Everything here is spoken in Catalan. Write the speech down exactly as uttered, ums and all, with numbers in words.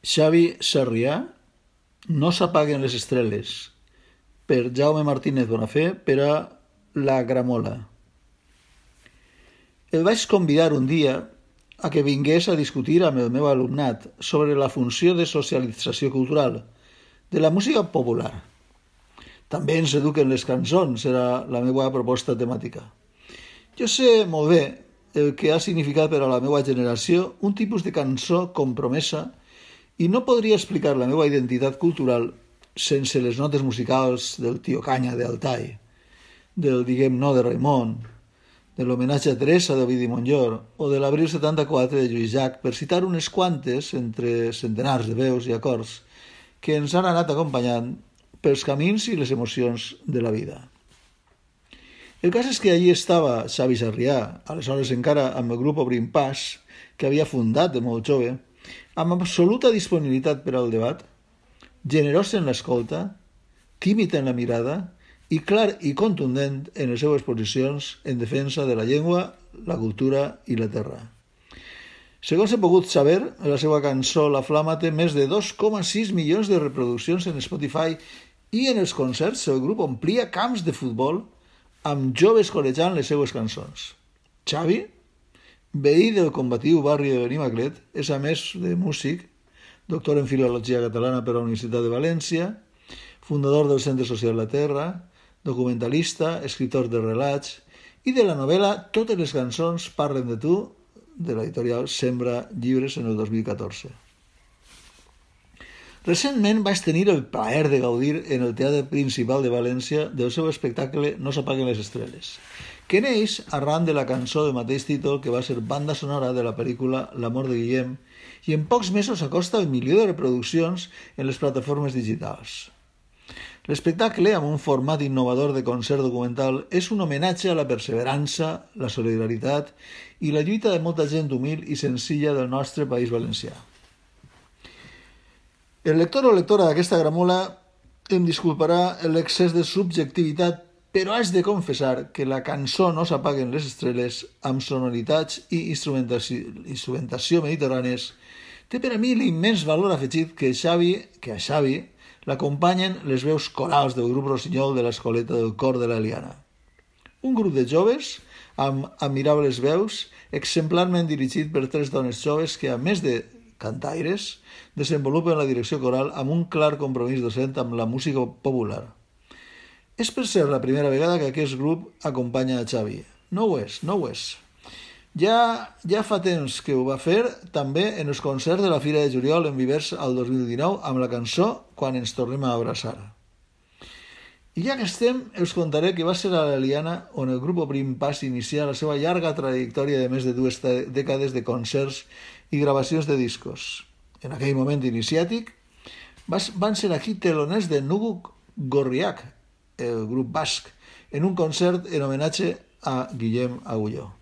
Xavi Sarrià, No s'apaguen les estrelles, per Jaume Martínez Bonafé, per a La Gramola. El vaig convidar un dia a que vingués a discutir amb el meu alumnat sobre la funció de socialització cultural de la música popular. També ens eduquen les cançons, era la meva proposta temàtica. Jo sé molt bé el que ha significat per a la meva generació un tipus de cançó compromesa i no podria explicar la meva identitat cultural sense les notes musicals del Tio Canya d'Altai, del Diguem No de Raimon, de l'homenatge a Teresa d'Ovidi Montllor o de l'Abril setanta-quatre de Lluís Llach, per citar unes quantes entre centenars de veus i acords que ens han anat acompanyant pels camins i les emocions de la vida. El cas és que allí estava Xavi Sarrià, aleshores encara amb el grup Obrim Pas, que havia fundat de molt jove, amb absoluta disponibilitat per al debat, generós en l'escolta, tímid en la mirada i clar i contundent en les seues posicions en defensa de la llengua, la cultura i la terra. Segons he pogut saber, la seva cançó La Flama té més de dos coma sis milions de reproduccions en Spotify i en els concerts el grup omplia camps de futbol amb joves corejant les seues cançons. Xavi, veí del combatiu barri de Benimaclet, és a més de músic, doctor en Filologia Catalana per la Universitat de València, fundador del Centre Social La Terra, documentalista, escriptor de relats i de la novel·la Totes les cançons parlen de tu, de l'editorial Sembra Llibres en el dos mil catorze. Recentment vaig tenir el plaer de gaudir en el Teatre Principal de València del seu espectacle No s'apaguen les estrelles, que neix arran de la cançó del mateix títol que va ser banda sonora de la pel·lícula L'amor de Guillem i en pocs mesos acosta el milió de reproduccions en les plataformes digitals. L'espectacle, amb un format innovador de concert documental, és un homenatge a la perseverança, la solidaritat i la lluita de molta gent humil i senzilla del nostre país valencià. El lector o lectora d'aquesta gramola em disculparà l'excés de subjectivitat, però haig de confessar que la cançó No s'apaguen les estrelles, amb sonoritats i instrumentació, instrumentació mediterrànies, té per a mi l'immens valor afegit que, Xavi, que a Xavi l'acompanyen les veus corals del grup Rossinyol de l'Escoleta del Cor de l'Eliana. Un grup de joves amb admirables veus, exemplarment dirigit per tres dones joves que, a més de cantaires, desenvolupen la direcció coral amb un clar compromís docent amb la música popular. És per ser la primera vegada que aquest grup acompanya a Xavi. No ho és, no ho és. Ja, ja fa temps que ho va fer també en els concerts de la Fira de Juliol en Vivers al dos mil dinou amb la cançó Quan ens tornem a abraçar. I ja que estem, us contaré que va ser a l'Eliana on el grup Obrim Pas inicià la seva llarga trajectòria de més de dues dècades de concerts i gravacions de discos. En aquell moment iniciàtic van ser aquí teloners de Nugu Gorriak, el grup basc, en un concert en homenatge a Guillem Agulló.